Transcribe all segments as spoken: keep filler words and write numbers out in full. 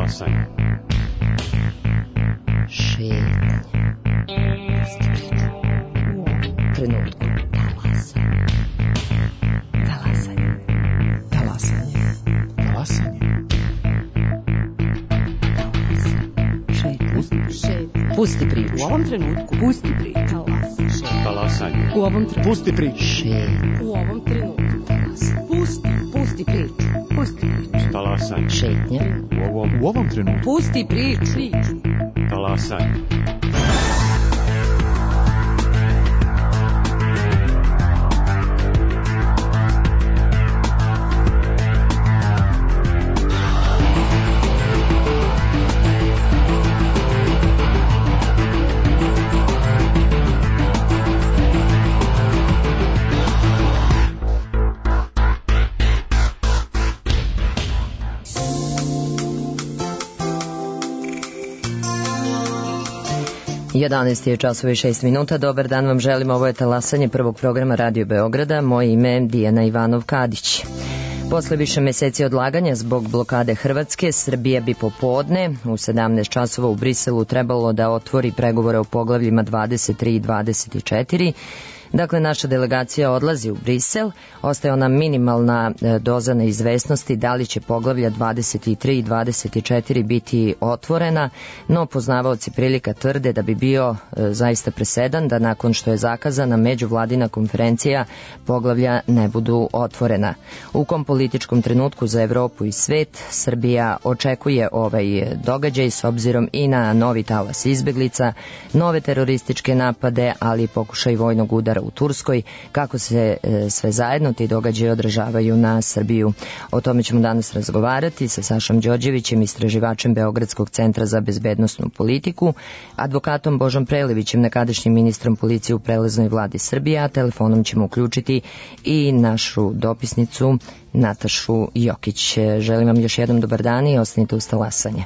Talasanje. Šetnja. Trenutku. Talasanje. Talasanje. Talasanje. Talasanje. Šetnja. Šetnja. Pusti priču. U ovom trenutku. Pusti priču. Talasanje. U ovom trenutku. Pusti priču. Šetnja. U ovom trenutku. Pusti. Pusti priču. Pusti priču. Talasanje. Šetnja. U ovom, U ovom trenutku. Pusti priču. talasanje. jedanaest je časova i šest minuta. Dobar dan vam želim. Ovo je talasanje prvog programa Radio Beograda. Moje ime je Dijana Ivanov-Kadić. Posle više meseci odlaganja zbog blokade Hrvatske, Srbija bi popodne u sedamnaest časova u Briselu trebalo da otvori pregovore o poglavljima dvadeset tri i dvadeset četiri. Dakle, naša delegacija odlazi u Brisel, ostaje ona minimalna doza neizvesnosti da li će poglavlja dvadeset tri i dvadeset četiri biti otvorena, no poznavaoci prilika tvrde da bi bio e, zaista presedan da nakon što je zakazana međuvladina konferencija poglavlja ne budu otvorena. U kom političkom trenutku za Evropu i svet Srbija očekuje ovaj događaj s obzirom i na novi talas izbeglica, nove terorističke napade, ali i pokušaj vojnog udara u Turskoj, kako se e, sve zajedno ti događaji odražavaju na Srbiju. O tome ćemo danas razgovarati sa Sašom Đorđevićem, istraživačem Beogradskog centra za bezbednosnu politiku, advokatom Božom Prelevićem, nekadašnjim ministrom policije u preleznoj vladi Srbije, a telefonom ćemo uključiti i našu dopisnicu Natašu Jokić. Želim vam još jednom dobar dan i ostanite uz talasanje.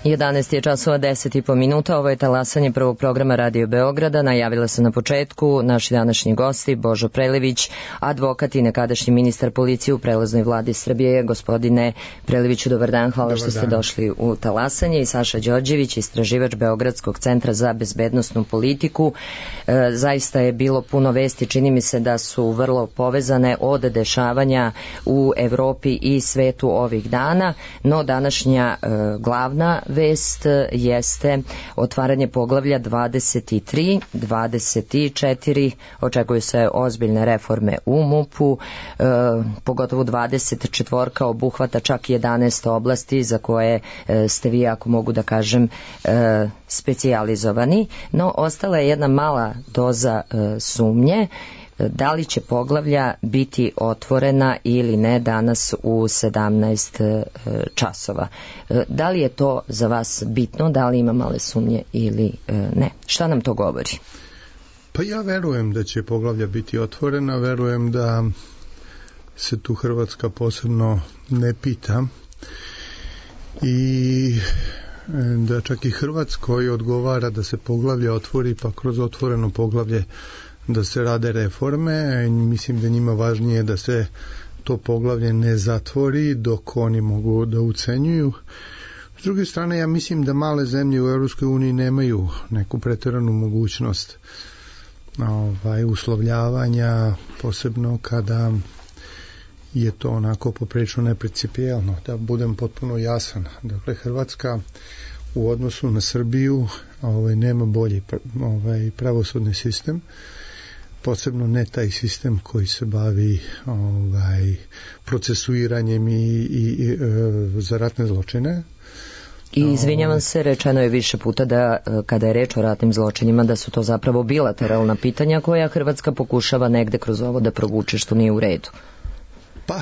jedanaest je časova deset i po minuta, ovo je talasanje prvog programa Radio Beograda. Najavila se na početku naši današnji gosti, Božo Prelević, advokat i nekadašnji ministar policije u prelaznoj vladi Srbije. Gospodine Preleviću, dobar dan, hvala dobar što dan. Ste došli u talasanje. I Saša Đorđević, istraživač Beogradskog centra za bezbednosnu politiku. E, zaista je bilo puno vesti, čini mi se da su vrlo povezane od dešavanja u Evropi i svetu ovih dana, no današnja e, glavna vest jeste otvaranje poglavlja dvadeset tri, dvadeset četiri, očekuju se ozbiljne reforme u MUP-u, e, pogotovo dvadeset četiri obuhvata čak jedanaest oblasti za koje e, ste vi, ako mogu da kažem, e, specijalizovani, no ostala je jedna mala doza e, sumnje da li će poglavlja biti otvorena ili ne danas u sedamnaest časova. Da li je to za vas bitno, da li ima male sumnje ili ne? Šta nam to govori? Pa ja verujem da će poglavlja biti otvorena, verujem da se tu Hrvatska posebno ne pita i da čak i Hrvatskoj odgovara da se poglavlja otvori, pa kroz otvoreno poglavlje da se rade reforme. Mislim da njima važnije da se to poglavlje ne zatvori dok oni mogu da ucenjuju. S druge strane, ja mislim da male zemlje u Europskoj uniji nemaju neku pretjeranu mogućnost ovaj, uslovljavanja, posebno kada je to onako poprilično neprincipijelno. Da budem potpuno jasan. Dakle, Hrvatska u odnosu na Srbiju ovaj, nema bolji ovaj, pravosudni sistem, posebno ne taj sistem koji se bavi ovaj, procesuiranjem i, i, i e, za ratne zločine. I izvinjavam se, rečeno je više puta da kada je reč o ratnim zločinima da su to zapravo bilateralna pitanja koja Hrvatska pokušava negde kroz ovo da provuče, što nije u redu. Pa,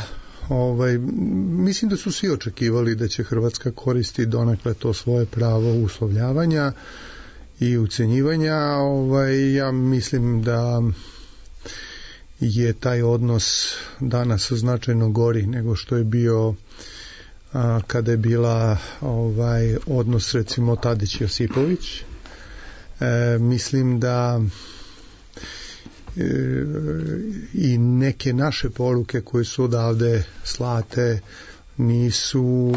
ovaj, mislim da su svi očekivali da će Hrvatska koristiti donekle to svoje pravo uslovljavanja i ucenjivanja. Ovaj, ja mislim da je taj odnos danas značajno gori nego što je bio a, kada je bila ovaj, odnos recimo Tadić-Josipović. E, mislim da e, i neke naše poruke koje su odavde slate nisu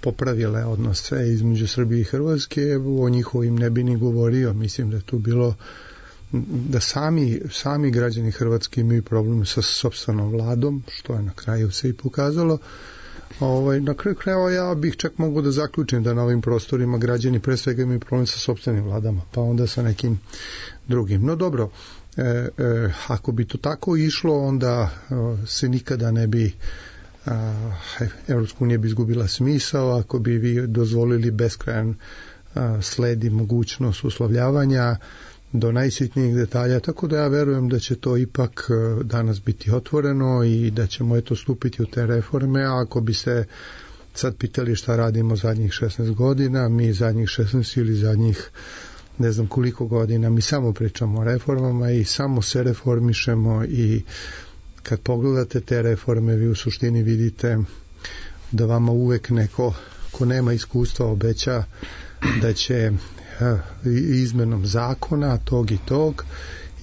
popravile odnose između Srbije i Hrvatske. O njihovim ne bi ni govorio. Mislim da je tu bilo da sami, sami građani Hrvatske imaju problem sa sopstvenom vladom, što je na kraju se i pokazalo. Ovaj, na kraju krajeva ja bih čak mogu da zaključim da na ovim prostorima građani pre svega imaju problem sa sopstvenim vladama, pa onda sa nekim drugim. No dobro, e, e, ako bi to tako išlo, onda e, se nikada ne bi Evropska unija bi izgubila smisao ako bi vi dozvolili beskrajan sled i mogućnost uslovljavanja do najsitnijih detalja, tako da ja verujem da će to ipak danas biti otvoreno i da ćemo eto stupiti u te reforme. A ako bi se sad pitali šta radimo zadnjih šesnaest godina, mi zadnjih šesnaest ili zadnjih ne znam koliko godina, mi samo pričamo o reformama i samo se reformišemo i kad pogledate te reforme, vi u suštini vidite da vama uvek neko ko nema iskustva obeća da će izmenom zakona tog i tog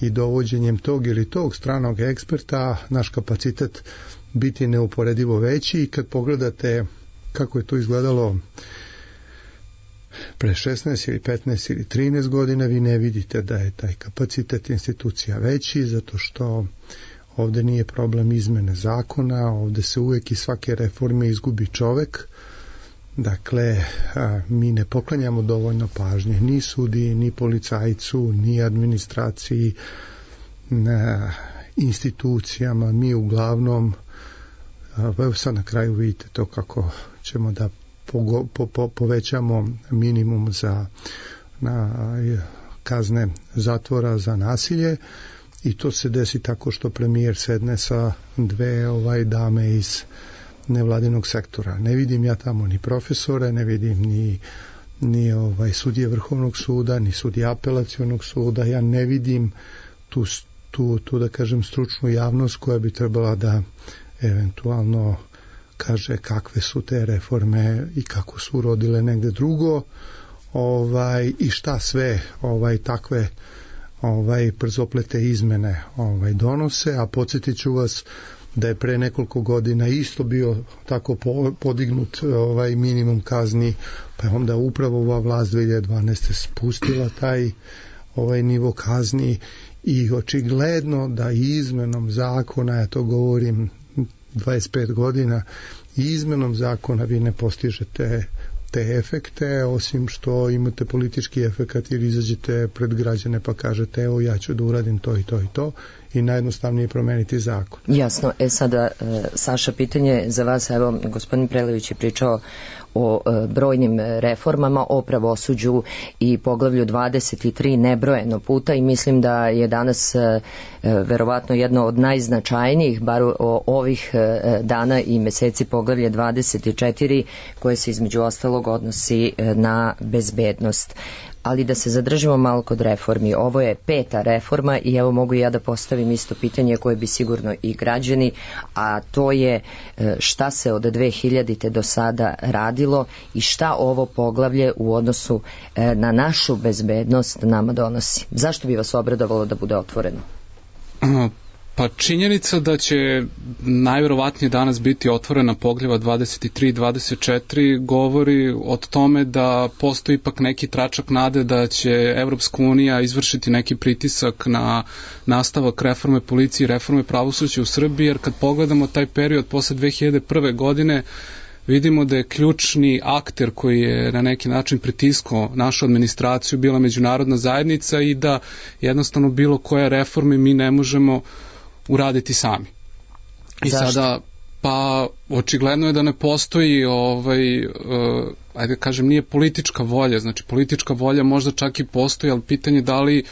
i dovođenjem tog ili tog stranog eksperta naš kapacitet biti neuporedivo veći. I kad pogledate kako je to izgledalo pre šesnaest ili petnaest ili trinaest godina, vi ne vidite da je taj kapacitet institucija veći, zato što ovde nije problem izmene zakona, ovde se uvek i svake reforme izgubi čovek. Dakle, a, mi ne poklanjamo dovoljno pažnje ni sudi, ni policajcu, ni administraciji, na institucijama. Mi uglavnom, a, evo sad na kraju vidite to kako ćemo da pogo, po, po, povećamo minimum za na, kazne zatvora za nasilje. I to se desi tako što premijer sedne sa dve ovaj dame iz nevladinog sektora. Ne vidim ja tamo ni profesore, ne vidim ni, ni ovaj sudije Vrhovnog suda, ni sudije Apelacionog suda. Ja ne vidim tu, tu, tu da kažem stručnu javnost koja bi trebala da eventualno kaže kakve su te reforme i kako su urodile negde drugo, ovaj, i šta sve ovaj, takve ovaj, brzoplete izmene ovaj, donose, a podsjetit ću vas da je pre nekoliko godina isto bio tako podignut ovaj minimum kazni, pa je onda upravo ova vlast dve hiljade dvanaeste spustila taj ovaj nivo kazni i očigledno da izmenom zakona, ja to govorim dvadeset pet godina, izmenom zakona vi ne postižete te efekte, osim što imate politički efekat jer izađete pred građane pa kažete evo ja ću da uradim to i to i to i najjednostavnije promeniti zakon. Jasno, e sada Saša, pitanje za vas, evo gospodin Prelević je pričao o brojnim reformama, o pravosuđu i poglavlju dvadeset tri nebrojeno puta i mislim da je danas verovatno jedno od najznačajnijih, bar o ovih dana i meseci, poglavlje dvadeset četiri koje se između ostalog odnosi na bezbednost. Ali da se zadržimo malo kod reformi. Ovo je peta reforma i evo mogu ja da postavim isto pitanje koje bi sigurno i građani, a to je šta se od dve hiljadite do sada radilo i šta ovo poglavlje u odnosu na našu bezbednost nama donosi. Zašto bi vas obradovalo da bude otvoreno? Pa činjenica da će najverovatnije danas biti otvorena poglavlja dvadeset tri i dvadeset četiri govori o tome da postoji ipak neki tračak nade da će Evropska unija izvršiti neki pritisak na nastavak reforme policije i reforme pravosuđa u Srbiji, jer kad pogledamo taj period posle dve hiljade prve godine vidimo da je ključni akter koji je na neki način pritiskao našu administraciju bila međunarodna zajednica i da jednostavno bilo koje reforme mi ne možemo uraditi sami. I Zašto? sada, pa očigledno je da ne postoji ovaj, uh, ajde kažem, nije politička volja, znači politička volja možda čak i postoji, ali pitanje da li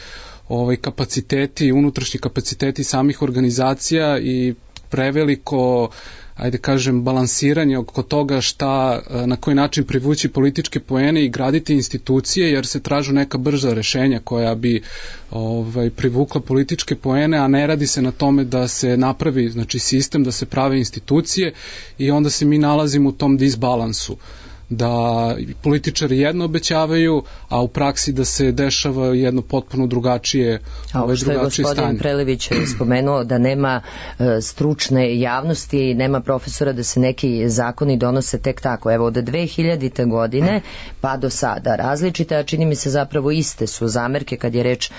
ovaj, kapaciteti, unutrašnji kapaciteti samih organizacija i preveliko, ajde kažem, balansiranje oko toga šta, na koji način privući političke poene i graditi institucije, jer se tražu neka brza rešenja koja bi ovaj, privukla političke poene, a ne radi se na tome da se napravi, znači, sistem, da se prave institucije i onda se mi nalazimo u tom disbalansu, da političari jedno obećavaju, a u praksi da se dešava jedno potpuno drugačije a ovo što je gospodin stanje. Prelević spomenuo da nema e, stručne javnosti, nema profesora, da se neki zakoni donose tek tako. Evo od dve hiljadite godine pa do sada različite, a čini mi se zapravo iste su zamerke kad je reč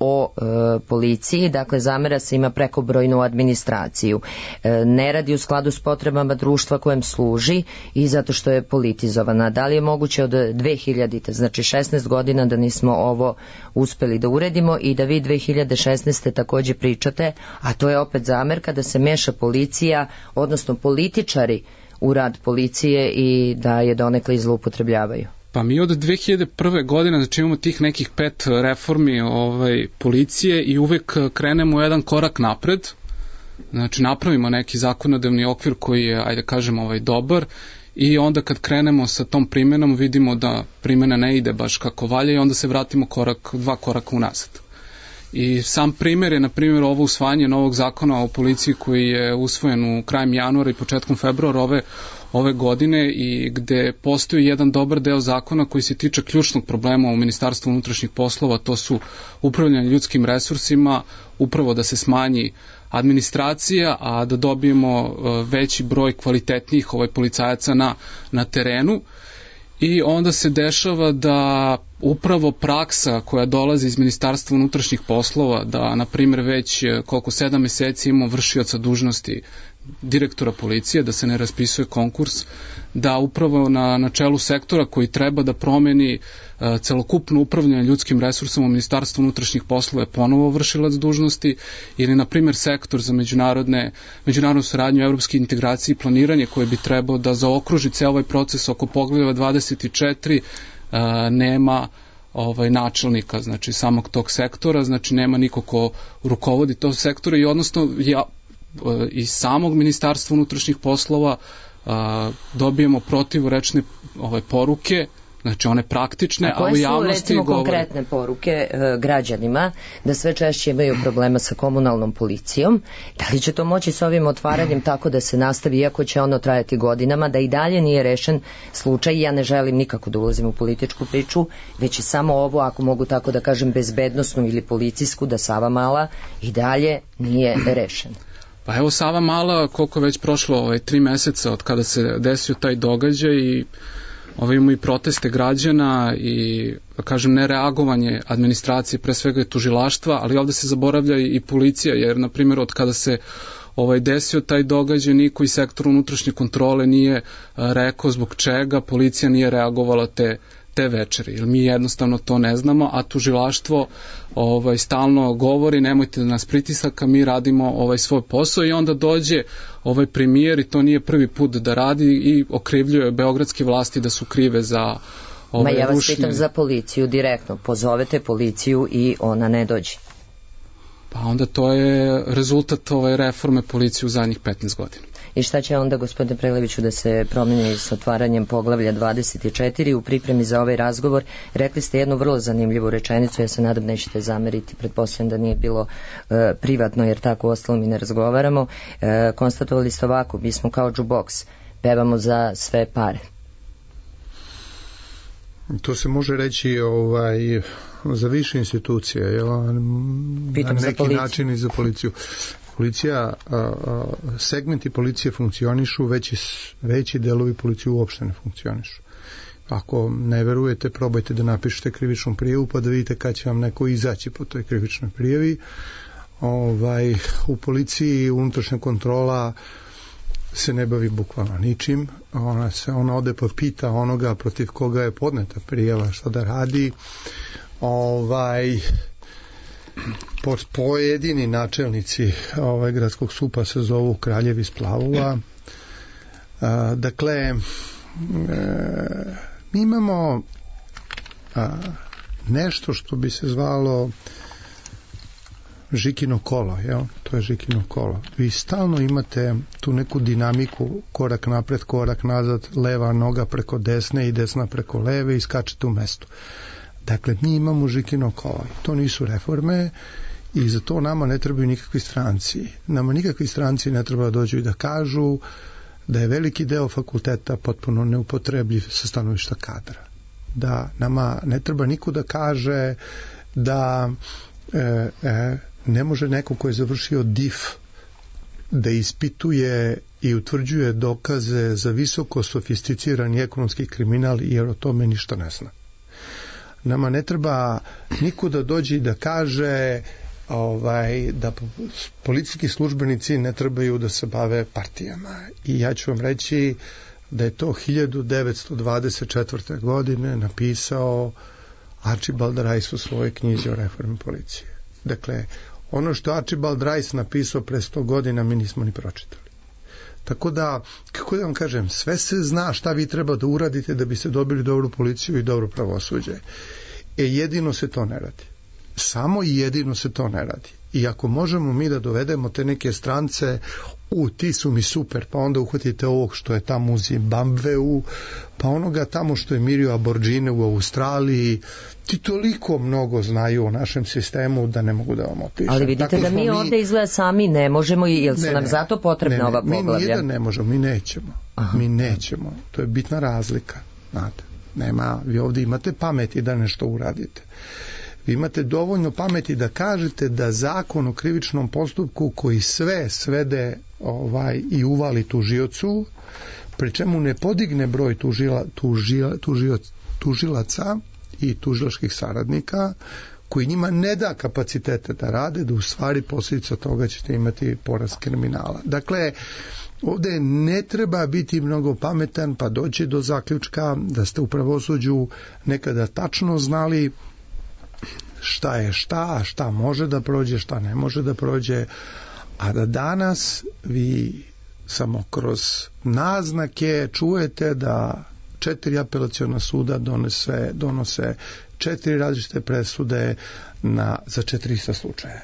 o e, policiji, dakle zamera se ima prekobrojnu administraciju, e, ne radi u skladu s potrebama društva kojem služi i zato što je politizovana. Da li je moguće od dve hiljadite, znači šesnaest godina, da nismo ovo uspeli da uredimo i da vi dve hiljade šesnaeste takođe pričate, a to je opet zamerka da se meša policija, odnosno političari u rad policije i da je donekle zloupotrebljavaju? Pa mi od dve hiljade prve godine, znači imamo tih nekih pet reformi ovaj, policije i uvek krenemo jedan korak napred, znači napravimo neki zakonodavni okvir koji je, ajde kažemo, ovaj, dobar i onda kad krenemo sa tom primenom vidimo da primjena ne ide baš kako valja i onda se vratimo korak, dva koraka unazad. I sam primjer je, na primjer, ovo usvajanje novog zakona o policiji koji je usvojen u krajem januara i početkom februara ove ove godine i gde postoji jedan dobar deo zakona koji se tiče ključnog problema u Ministarstvu unutrašnjih poslova, to su upravljanje ljudskim resursima, upravo da se smanji administracija, a da dobijemo veći broj kvalitetnijih ovaj policajaca na, na terenu. I onda se dešava da upravo praksa koja dolazi iz Ministarstva unutrašnjih poslova, da na primjer već koliko sedam meseci imamo vršioca dužnosti direktora policije, da se ne raspisuje konkurs, da upravo na, na čelu sektora koji treba da promeni uh, celokupno upravljanje ljudskim resursom u Ministarstvu unutrašnjih poslova je ponovo vršilac dužnosti, ili na primjer sektor za međunarodne, međunarodnu saradnju, evropske integracije i planiranje koje bi trebao da zaokruži ceo ovaj proces oko poglavlja dvadeset četiri, uh, nema ovaj načelnika, znači samog tog sektora, znači nema niko ko rukovodi tog sektora i odnosno ja iz samog Ministarstva unutrašnjih poslova a, dobijemo protivrečne ove poruke Znači one praktične, a, a u javnosti govore. Koje su recimo govore... konkretne poruke e, građanima da sve češće imaju problema sa komunalnom policijom? Da li će to moći s ovim otvaranjem tako da se nastavi, iako će ono trajati godinama, da i dalje nije rešen slučaj? Ja ne želim nikako da ulazim u političku priču, već je samo ovo, ako mogu tako da kažem, bezbednosnu ili policijsku, da Savamala i dalje nije rešen. Pa evo Savamala, koliko je već prošlo ovaj, tri meseca od kada se desio taj događaj i ovaj, imamo i proteste građana i, da kažem, nereagovanje administracije, pre svega je tužilaštva, ali ovde se zaboravlja i policija, jer, na primjer, od kada se ovaj, desio taj događaj, niko iz sektora unutrašnje kontrole nije a, rekao zbog čega policija nije reagovala te te večeri, jer mi jednostavno to ne znamo, a tužilaštvo ovaj, stalno govori nemojte da nas pritisaka, mi radimo ovaj svoj posao i onda dođe ovaj premijer i to nije prvi put da radi i okrivljuje beogradske vlasti da su krive za ovaj Ma ja vas rušenje. pitam za policiju direktno, pozovete policiju i ona ne dođe. Pa onda to je rezultat ovaj reforme policije u zadnjih petnaest godina. I šta će onda, gospodine Preleviću, da se promeni s otvaranjem poglavlja dvadeset četiri? U pripremi za ovaj razgovor rekli ste jednu vrlo zanimljivu rečenicu, ja se nadam nećete zameriti, pretpostavljam da nije bilo e, privatno, jer tako ostalo mi ne razgovaramo. E, konstatovali ste ovako, mi smo kao jukebox, pevamo za sve pare. To se može reći ovaj, za više institucije, jel? Pitam na za neki policiju. način i za policiju. Policija, a, a, segmenti policije funkcionišu, veći, veći delovi policije uopšte ne funkcionišu. Ako ne verujete, probajte da napišete krivičnu prijavu pa da vidite kad će vam neko izaći po toj krivičnoj prijavi. Ovaj, u policiji unutrašnja kontrola se ne bavi bukvalno ničim. Ona, se, ona ode pa pita onoga protiv koga je podneta prijava šta da radi. Ovaj... pojedini načelnici ovaj, gradskog supa se zovu kraljevi splavova. A, dakle, e, mi imamo a, nešto što bi se zvalo Žikino kolo, jel? To je Žikino kolo. Vi stalno imate tu neku dinamiku, korak napred, korak nazad, leva noga preko desne i desna preko leve i skačete u mestu. Dakle, mi imamo Žikino kolo. To nisu reforme i za to nama ne trebaju nikakvi stranci. Nama nikakvi stranci ne treba da dođu i da kažu da je veliki deo fakulteta potpuno neupotrebljiv sa stanovišta kadra. Da nama ne treba niko da kaže da e, e, ne može neko ko je završio D I F da ispituje i utvrđuje dokaze za visoko sofisticirani ekonomski kriminal jer o tome ništa ne zna. Nama ne treba niko da dođe i da kaže ovaj, da policijski službenici ne trebaju da se bave partijama. I ja ću vam reći da je to hiljadu devetsto dvadeset četvrte. godine napisao Archibald Rice u svojoj knjizi o reformi policije. Dakle, ono što Archibald Rice napisao pre sto godina mi nismo ni pročitali. Tako da, kako da vam kažem, sve se zna šta vi treba da uradite da biste dobili dobru policiju i dobro pravosuđe. E, jedino se to ne radi. Samo i jedino se to ne radi. I ako možemo mi da dovedemo te neke strance, u, ti su mi super, pa onda uhvatite ovog što je tamo u Zimbabveu, pa onoga tamo što je mirio aborđine u Australiji, ti toliko mnogo znaju o našem sistemu da ne mogu da vam opišem. Ali vidite tako da mi ovde izgleda sami ne možemo i jel su ne, nam ne, zato potrebna ne, ne, ova poglavlja? Mi nijedan ne možemo, mi nećemo. Aha. Mi nećemo. To je bitna razlika. Znate, nema, vi ovde imate pameti da nešto uradite. Vi imate dovoljno pameti da kažete da zakon o krivičnom postupku koji sve svede ovaj, i uvali tužiocu, pri čemu ne podigne broj tužila, tužila, tužio, tužilaca i tužilačkih saradnika, koji njima ne da kapacitete da rade, da u stvari posljedica toga ćete imati porast kriminala. Dakle, ovde ne treba biti mnogo pametan pa doći do zaključka da ste u pravosuđu nekada tačno znali šta je šta, šta može da prođe, šta ne može da prođe, a da danas vi samo kroz naznake čujete da četiri apelaciona suda donese, donose četiri različite presude na, za četiri ista slučaja.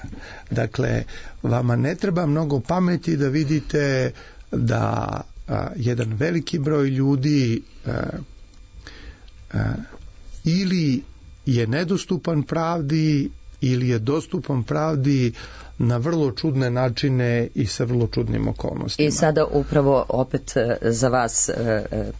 Dakle, vama ne treba mnogo pameti da vidite da a, jedan veliki broj ljudi a, ili je nedostupan pravdi ili je dostupan pravdi na vrlo čudne načine i sa vrlo čudnim okolnostima. I sada upravo opet za vas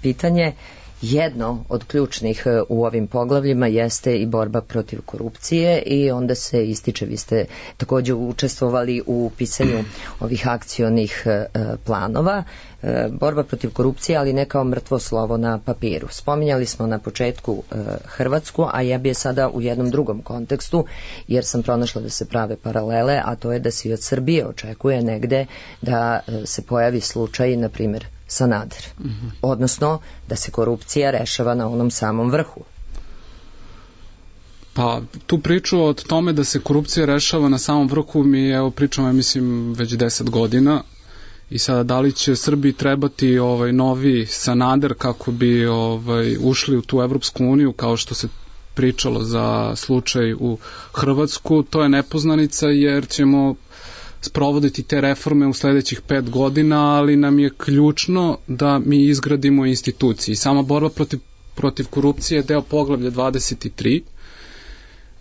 pitanje. Jedno od ključnih u ovim poglavljima jeste i borba protiv korupcije i onda se ističe, vi ste također učestvovali u pisanju ovih akcionih planova. Borba protiv korupcije, ali ne kao mrtvo slovo na papiru. Spominjali smo na početku Hrvatsku, a ja bi je sada u jednom drugom kontekstu, jer sam pronašla da se prave paralele, a to je da se i od Srbije očekuje negde da se pojavi slučaj, na primjer, Sanader. Mm-hmm. Odnosno, da se korupcija rešava na onom samom vrhu. Pa, tu priču o tome da se korupcija rešava na samom vrhu mi evo pričamo, ja mislim, već deset godina. I sada da li će Srbiji trebati ovaj novi Sanader kako bi ovaj ušli u tu Evropsku uniju kao što se pričalo za slučaj u Hrvatsku, to je nepoznanica jer ćemo sprovoditi te reforme u sledećih pet godina, ali nam je ključno da mi izgradimo institucije. Sama borba protiv, protiv korupcije je deo poglavlja dvadeset tri.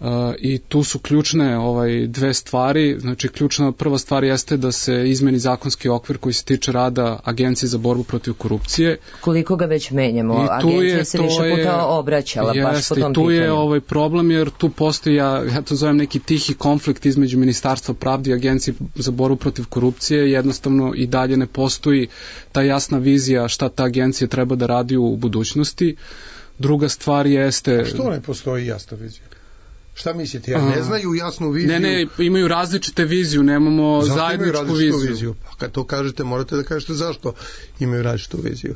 Uh, i tu su ključne ovaj dve stvari. Znači ključna prva stvar jeste da se izmeni zakonski okvir koji se tiče rada Agencije za borbu protiv korupcije. Koliko ga već menjamo, agencija se više puta je, obraćala jest, baš po tom i tu pitanju. Je ovaj problem jer tu postoji, ja, ja to zovem neki tihi konflikt između Ministarstva pravde i Agencije za borbu protiv korupcije. Jednostavno i dalje ne postoji ta jasna vizija šta ta agencija treba da radi u budućnosti. Druga stvar jeste... A što ne postoji jasna vizija? Šta mislite, ja ne znaju jasnu viziju? Ne, ne, imaju različite viziju, nemamo zašto zajedničku imaju viziju. viziju. Pa kad to kažete, morate da kažete zašto imaju različitu viziju.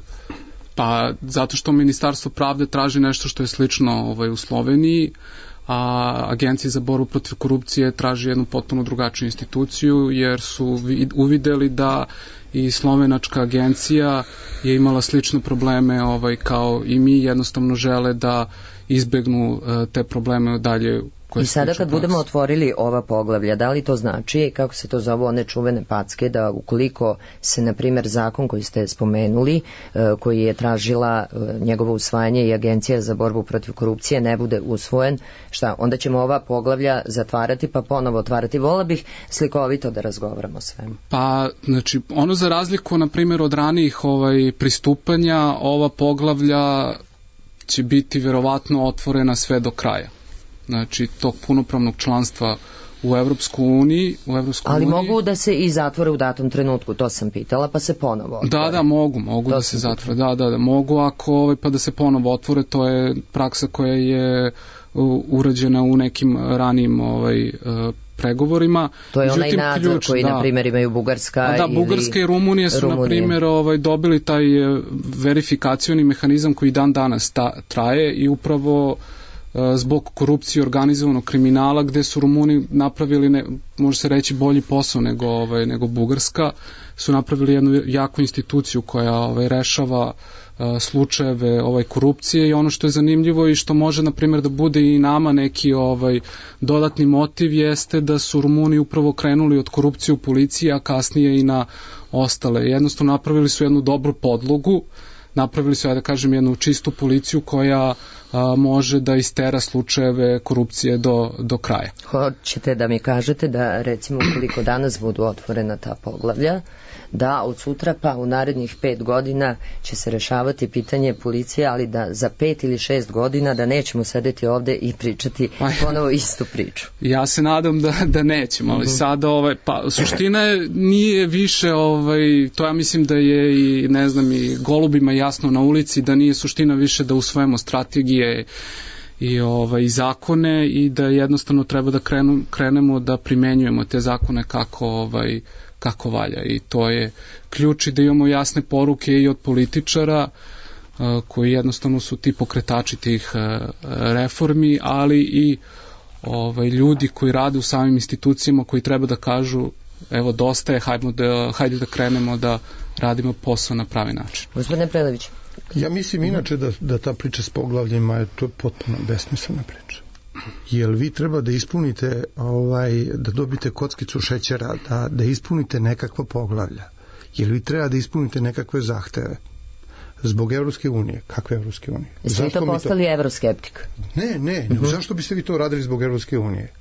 Pa zato što Ministarstvo pravde traži nešto što je slično ovaj, u Sloveniji, a Agencija za borbu protiv korupcije traži jednu potpuno drugačiju instituciju, jer su uvideli da i slovenačka agencija je imala slične probleme ovaj, kao i mi, jednostavno žele da izbegnu uh, te probleme dalje. I sada kad budemo otvorili ova poglavlja, da li to znači, kako se to zove, one čuvene packe, da ukoliko se, na primjer, zakon koji ste spomenuli, uh, koji je tražila uh, njegovo usvajanje i Agencija za borbu protiv korupcije ne bude usvojen, šta, onda ćemo ova poglavlja zatvarati pa ponovo otvarati. Vola bih slikovito da razgovaramo o svemu. Pa, znači, ono za razliku, na primjer, od ranijih ovaj, pristupanja, ova poglavlja će biti verovatno otvorena sve do kraja. Znači, tog punopravnog članstva u Evropsku uniji, u Evropsku Ali uniji. mogu da se i zatvore u datom trenutku, to sam pitala, pa se ponovo otvore. Da, da, mogu, mogu to da se zatvore. Da, da, da, mogu ako ovaj, pa da se ponovo otvore, to je praksa koja je urađena u nekim ranijim ovaj, pregovorima. To je Međutim, onaj nadzor ključ, koji, da, na primjer, imaju Bugarska da, ili Bugarska i Rumunija su, Rumunije. na primjer, ovaj, dobili taj verifikacioni mehanizam koji dan danas ta, traje i upravo zbog korupcije i organizovanog kriminala, gde su Rumuni napravili, ne, može se reći, bolji posao nego, ovaj, nego Bugarska, su napravili jednu jaku instituciju koja ovaj, rešava uh, slučajeve ovaj, korupcije i ono što je zanimljivo i što može, na primjer, da bude i nama neki ovaj, dodatni motiv jeste da su Rumuni upravo krenuli od korupcije u policiji, a kasnije i na ostale. Jednostavno napravili su jednu dobru podlogu, napravili su, ja da kažem, jednu čistu policiju koja a, može da istera slučajeve korupcije do, do kraja. Hoćete da mi kažete da, recimo, ukoliko danas budu otvorena ta poglavlja, da od sutra pa u narednih pet godina će se rešavati pitanje policije, ali da za pet ili šest godina da nećemo sedeti ovde i pričati ponovo istu priču. Ja se nadam da, da nećemo, ali sada ovaj, pa, suština je, nije više, ovaj, to ja mislim da je i, ne znam, i golubima jasno na ulici, da nije suština više da usvojimo strategije i ovaj, zakone i da jednostavno treba da krenu, krenemo da primenjujemo te zakone kako ovaj, kako valja i to je ključ i da imamo jasne poruke i od političara uh, koji jednostavno su ti pokretači tih uh, reformi, ali i ovaj, ljudi koji rade u samim institucijama koji treba da kažu evo dosta je, hajde da, hajde da krenemo da radimo posao na pravi način. Gospodine Prelević. Ja mislim inače da, da ta priča s poglavljima je to potpuno besmislena priča. Jer vi treba da ispunite, ovaj, da dobite kockicu šećera, da, da ispunite nekakva poglavlja. Jer vi treba da ispunite nekakve zahteve. Zbog Evropske unije. Kakve Evropske unije? Jeste vi to postali to... evroskeptik? Ne, ne, uh-huh. Zašto biste vi to radili zbog Evropske unije?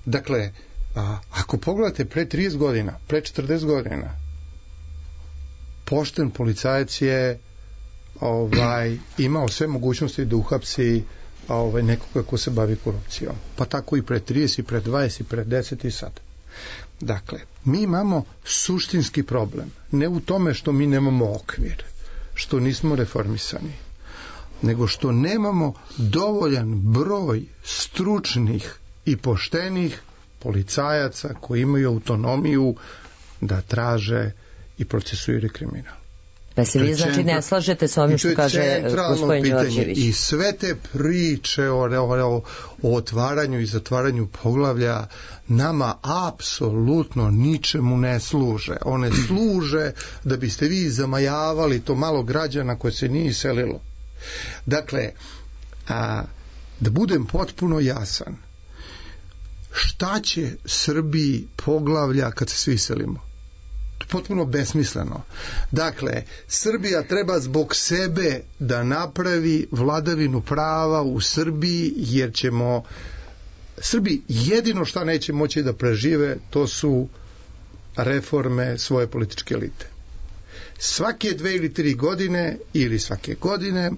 Dakle, a, ako pogledate pre trideset godina, pre četrdeset godina, pošten policajac je ovaj, imao sve mogućnosti da uhapsi ovaj, nekoga ko se bavi korupcijom. Pa tako i pre trideset, i pre dvadeset, i pre deset i sad. Dakle, mi imamo suštinski problem. Ne u tome što mi nemamo okvir, što nismo reformisani, nego što nemamo dovoljan broj stručnih i poštenih policajaca koji imaju autonomiju da traže i procesuiraju kriminal. Pa se vi znači ne slažete sa ovim što kaže gospodin Đorđević? I sve te priče o, o, o otvaranju i zatvaranju poglavlja nama apsolutno ničemu ne služe. One služe da biste vi zamajavali to malo građana koje se nije iselilo. Dakle, a, da budem potpuno jasan, šta će Srbiji poglavlja kad se svi iselimo? Potpuno besmisleno. Dakle, Srbija treba zbog sebe da napravi vladavinu prava u Srbiji, jer ćemo Srbiji jedino šta neće moći da prežive, to su reforme svoje političke elite. Svake dve ili tri godine ili svake godine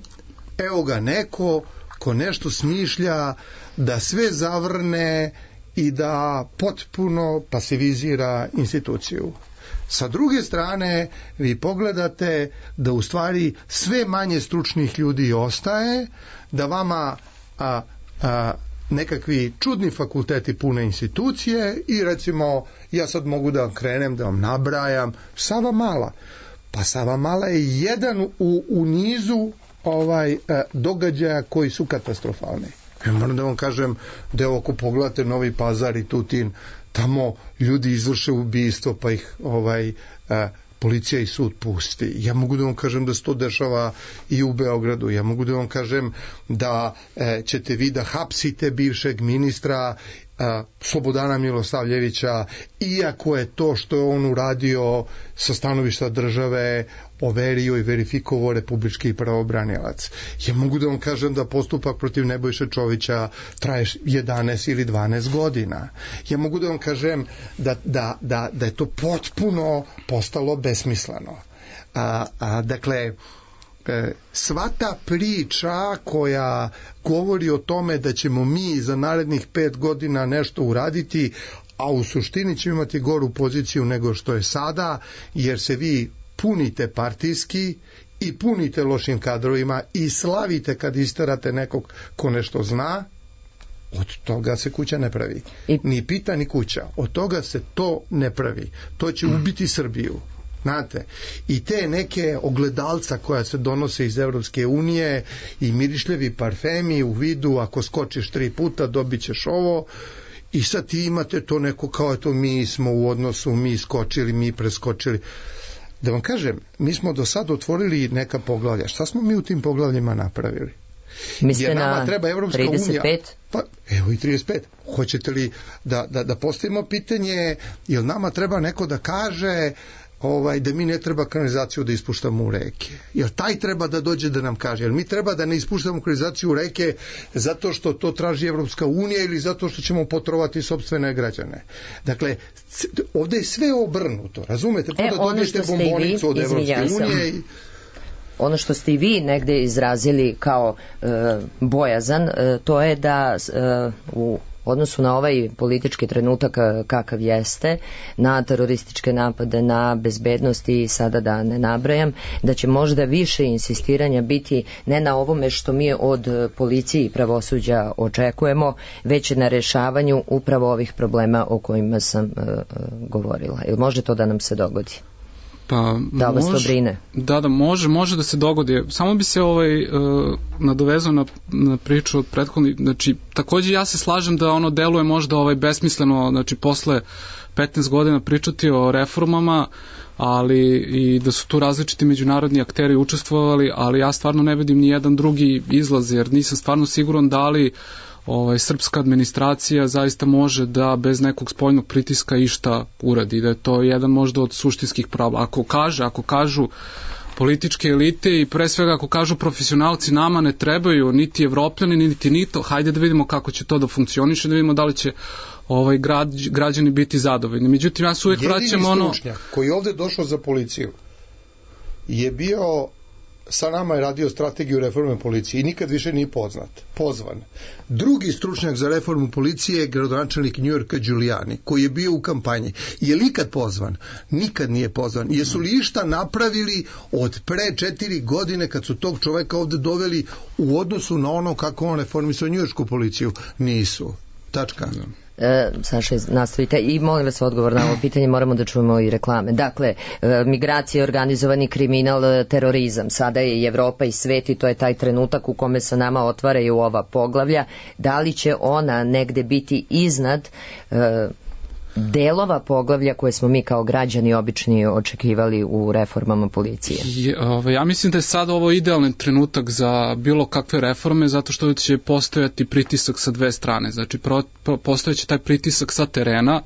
evo ga neko ko nešto smišlja da sve zavrne i da potpuno pasivizira instituciju. Sa druge strane, vi pogledate da u stvari sve manje stručnih ljudi ostaje, da vama a, a, nekakvi čudni fakulteti pune institucije i recimo ja sad mogu da vam krenem, da vam nabrajam Savamala. Pa Savamala je jedan u, u nizu ovaj a, događaja koji su katastrofalni. Ja moram da vam kažem da je ako pogledate Novi Pazar i Tutin, tamo ljudi izvrše ubistvo pa ih ovaj a, policija i sud pusti. Ja mogu da vam kažem da se to dešava i u Beogradu. Ja mogu da vam kažem da e, ćete vi da hapsite bivšeg ministra a, Slobodana Milosavljevića, iako je to što je on uradio sa stanovišta države overio i verifikovao republički pravobranilac. Ja mogu da vam kažem da postupak protiv Nebojše Čovića traje jedanaest ili dvanaest godina. Ja mogu da vam kažem da, da, da, da je to potpuno postalo besmisleno. A, a, dakle, sva ta priča koja govori o tome da ćemo mi za narednih pet godina nešto uraditi, a u suštini ćemo imati goru poziciju nego što je sada, jer se vi punite partijski i punite lošim kadrovima i slavite kad isterate nekog ko nešto zna, od toga se kuća ne pravi. Ni pita ni kuća. Od toga se to ne pravi. To će ubiti Srbiju. Znate, i te neke ogledalca koja se donose iz Evropske unije i mirišljevi parfemi u vidu ako skočiš tri puta dobit ćeš ovo, i sad ti imate to neko kao to mi smo u odnosu, mi skočili, mi preskočili. Da vam kažem, mi smo do sada otvorili neka poglavlja. Šta smo mi u tim poglavljima napravili? Mislite na trideset pet? Pa, evo i trideset pet. Hoćete li da, da, da postavimo pitanje, jel nama treba neko da kaže ovaj, da mi ne treba kanalizaciju da ispuštamo u reke? Jel taj treba da dođe da nam kaže? Jel mi treba da ne ispuštamo kanalizaciju u reke zato što to traži Evropska unija ili zato što ćemo potrovati sopstvene građane? Dakle, ovde je sve obrnuto, razumete? E, da dobijete bombonicu od Evropske unije i... Ono što ste i vi negde izrazili kao e, bojazan, e, to je da e, u odnosu na ovaj politički trenutak kakav jeste, na terorističke napade, na bezbednost i sada da ne nabrajam, da će možda više insistiranja biti ne na ovome što mi od policije i pravosuđa očekujemo, već na rešavanju upravo ovih problema o kojima sam uh, govorila. Ili može to da nam se dogodi? Pa, da vas to brine? Da, da, može, može da se dogodi. Samo bi se ovaj, uh, nadovezao na, na priču od prethodnih. Znači, takođe ja se slažem da ono deluje možda ovaj besmisleno, znači posle petnaest godina pričati o reformama, ali i da su tu različiti međunarodni akteri učestvovali, ali ja stvarno ne vidim ni jedan drugi izlaz, jer nisam stvarno siguran da li ovaj, srpska administracija zaista može da bez nekog spoljnog pritiska išta uradi, da je to jedan možda od suštinskih prava. Ako kaže, ako kažu političke elite i pre svega ako kažu profesionalci nama ne trebaju niti Evropljani niti nito, hajde da vidimo kako će to da funkcioniše, da vidimo da li će ovaj grad, građani biti zadovoljni. Međutim, ja se uvijek vraćam ono... Jedini stručnjak koji je ovde došao za policiju je bio, sa nama je radio strategiju reforme policije i nikad više nije poznat, pozvan. Drugi stručnjak za reformu policije je gradonačelnik Njujorka Giuliani, koji je bio u kampanji. Je li ikad pozvan? Nikad nije pozvan. Jesu li išta napravili od pre četiri godine kad su tog čoveka ovde doveli u odnosu na ono kako on reformisao njujoršku policiju? Nisu. Tačka. E, Saša, nastavite i molim vas odgovor na ovo pitanje, moramo da čujemo i reklame. Dakle, e, migracije, organizovani kriminal, terorizam, sada je i Evropa i svet i to je taj trenutak u kome se nama otvaraju ova poglavlja. Da li će ona negde biti iznad e, delova poglavlja koje smo mi kao građani obični očekivali u reformama policije? Je, ove, ja mislim da je sad ovo idealan trenutak za bilo kakve reforme, zato što će postojati pritisak sa dve strane. Znači, pro, pro, postojeće taj pritisak sa terena,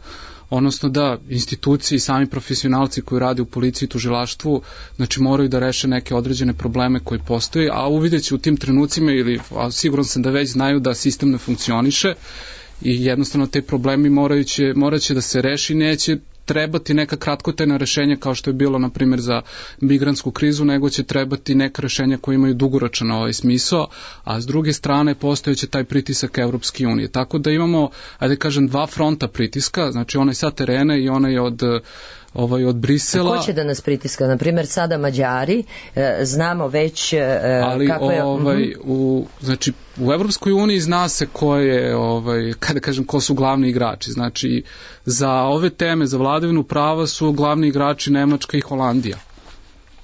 odnosno da institucije i sami profesionalci koji rade u policiji i tužilaštvu, znači moraju da reše neke određene probleme koji postoje, a uvidjet će u tim trenucima, ili a siguran sam da već znaju da sistem ne funkcioniše, i jednostavno te problemi moraju će, morat će da se reši, neće trebati neka kratkotrajna rešenja kao što je bilo na primjer za migrantsku krizu, nego će trebati neka rešenja koje imaju dugoročan ovaj smisao, a s druge strane postojeće taj pritisak Evropske unije. Tako da imamo, ajde kažem, dva fronta pritiska, znači onaj sa terena i onaj od ovaj od Brisela. Ko će da nas pritiska? Na primjer, sada Mađari, e, znamo već e, ali kako je... ovaj, u, znači, u Evropskoj uniji zna se ko je, ovaj, kada kažem, ko su glavni igrači. Znači, za ove teme, za vladavinu prava su glavni igrači Nemačka i Holandija.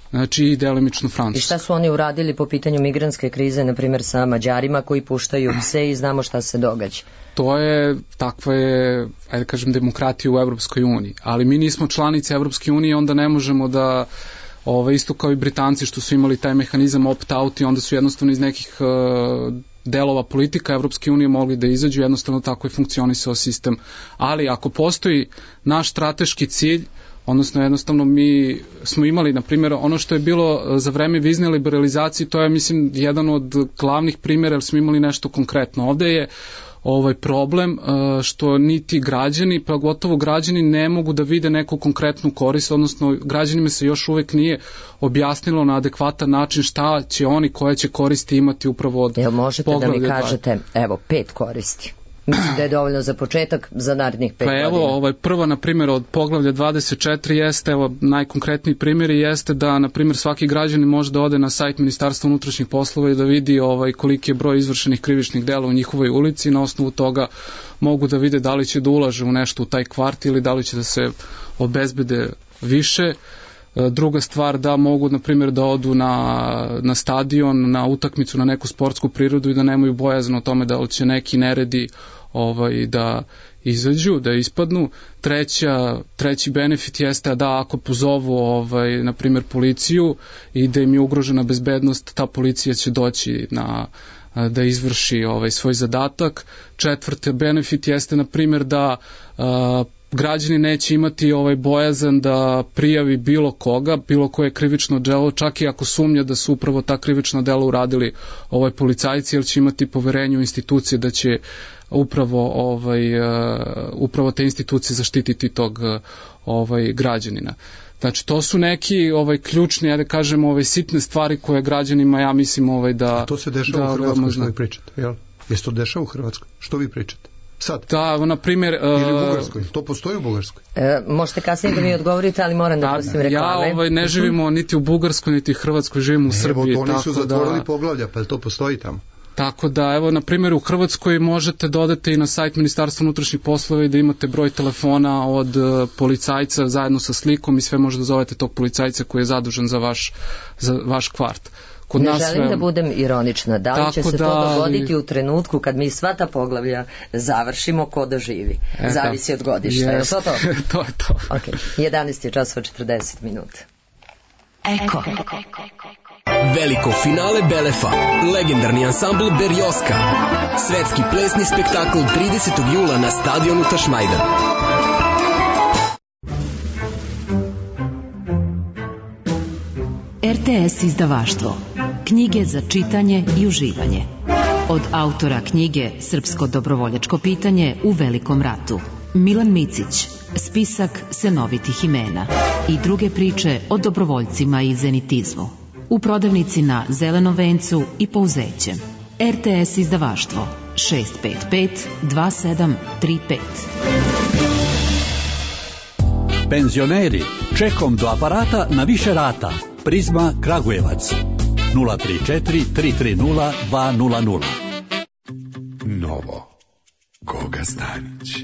Znači i delimično Francuska. I šta su oni uradili po pitanju migrantske krize, na primjer sa Mađarima koji puštaju pse i znamo šta se događa? To je, takva je, ajde kažem, demokratija u Evropskoj uniji. Ali mi nismo članice Evropske unije, onda ne možemo da, ovaj, isto kao i Britanci što su imali taj mehanizam opt-out i onda su jednostavno iz nekih uh, delova politika Evropske unije mogli da izađu, jednostavno tako je funkcionisao sistem. Ali ako postoji naš strateški cilj, odnosno jednostavno mi smo imali, na primjer, ono što je bilo za vreme vizne liberalizacije, to je, mislim, jedan od glavnih primjera, jer smo imali nešto konkretno. Ovde je ovaj problem što niti građani, pa gotovo građani ne mogu da vide neku konkretnu korist, odnosno građanima se još uvek nije objasnilo na adekvatan način šta će oni koje će koristi imati upravo od Jel možete da mi dva. kažete, evo, pet koristi? Mislim da je dovoljno za početak, za narednih pet pa evo, godina. Ovaj, prva, na primjer, od poglavlja dvadeset četiri jeste, evo, najkonkretniji primjer jeste da, na primjer, svaki građanin može da ode na sajt Ministarstva unutrašnjih poslova i da vidi ovaj, koliki je broj izvršenih krivičnih dela u njihovoj ulici i na osnovu toga mogu da vide da li će da ulaže u nešto u taj kvart ili da li će da se obezbede više. Druga stvar, da mogu, na primjer, da odu na, na stadion, na utakmicu, na neku sportsku prirodu i da nemaju bojazan o tome da li će neki neredi ovaj, da izađu, da ispadnu. Treća, treći benefit jeste da ako pozovu, ovaj, na primjer, policiju i da im je ugrožena bezbednost, ta policija će doći na, da izvrši ovaj, svoj zadatak. Četvrti benefit jeste, na primjer, da a, građani neće imati ovaj bojazan da prijavi bilo koga, bilo koje krivično delo, čak i ako sumnja da su upravo ta krivična dela uradili ovaj policajci, jer će imati poverenje u institucije da će upravo ovaj uh, upravo te institucije zaštititi tog uh, ovaj građanina. Znači to su neki ovaj ključni, ja da kažem, ovaj sitne stvari koje građanima, ja mislim, ovaj da A to se dešava da, u Hrvatskoj, što vi pričate, jel? Jeste to dešava u Hrvatskoj? Što vi pričate? Sad. Da, na primjer... Uh, Ili u Bugarskoj, to postoji u Bugarskoj. E, možete kasnije da mi odgovorite, ali moram da, da pustim reklame. Ja ovaj, ne živimo niti u Bugarskoj, niti u Hrvatskoj, živimo u Srbiji. Evo, oni su zatvorili da, poglavlja, pa to postoji tamo. Tako da, evo, na primjer, u Hrvatskoj možete da odete i na sajt Ministarstva unutrašnjih poslova i da imate broj telefona od uh, policajca zajedno sa slikom i sve možete da zovete tog policajca koji je zadužen za vaš, za vaš kvart. Kod ne nas želim sve... da budem ironična. Da li će se da, to dogoditi ali... u trenutku kad mi sva ta poglavlja završimo, ko da živi? E, Zavisi od godišta. Je to to? To je to. Ok, jedanaest je časova četrdeset minuta. Eko. Veliko finale Belefa. Legendarni ansambl Berjoska. Svetski plesni spektakl tridesetog jula na stadionu Tašmajdan. R T S izdavaštvo. Knjige za čitanje i uživanje. Od autora knjige Srpsko dobrovoljačko pitanje u Velikom ratu, Milan Micić, spisak senovitih imena i druge priče o dobrovoljcima i zenitizmu. U prodavnici na Zelenom vencu i Pouzećem. R T S izdavaštvo šest pet pet dva sedam tri pet. Penzioneri, čekom do aparata na više rata. Prizma Kragujevac nula tri četiri tri tri nula dva nula nula. Novo Goga Stanić.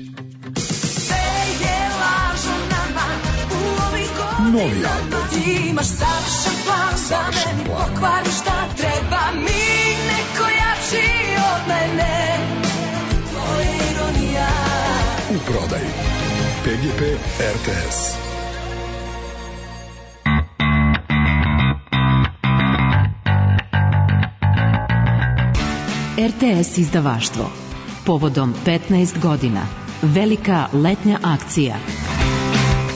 Novi album. Imaš savršen plan, savršen plan. Pokvari šta treba mi, neko jači od mene. Tvoja ironija. U prodaji P G P R T S. R T S izdavaštvo. Povodom petnaest godina. Velika letnja akcija.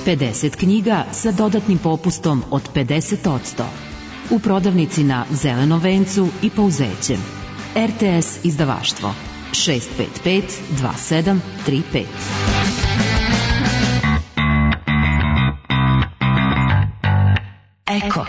pedeset knjiga sa dodatnim popustom od pedeset posto. U prodavnici na Zelenom vencu i Pouzećem. R T S izdavaštvo šest pet pet dva sedam tri pet. Eko.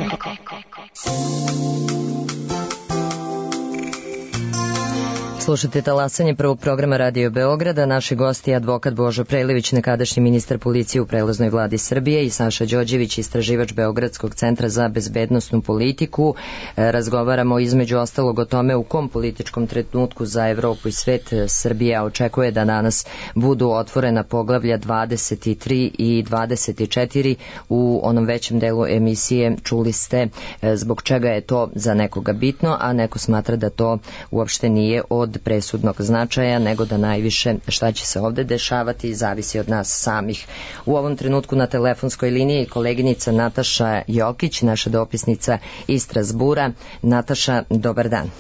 Slušate talasanje prvog programa Radio Beograda. Naši gosti je advokat Božo Prelević, nekadašnji ministar policije u prelaznoj vladi Srbije, i Saša Đorđević, istraživač Beogradskog centra za bezbednosnu politiku. Razgovaramo između ostalog o tome u kom političkom trenutku za Evropu i svet Srbija očekuje da danas budu otvorena poglavlja dvadeset tri i dvadeset četiri. U onom većem delu emisije čuli ste zbog čega je to za nekoga bitno, a neko smatra da to uopšte nije od presudnog značaja, nego da najviše šta će se ovde dešavati zavisi od nas samih. U ovom trenutku na telefonskoj liniji koleginica Nataša Jokić, naša dopisnica iz Strazbura. Nataša, dobar dan.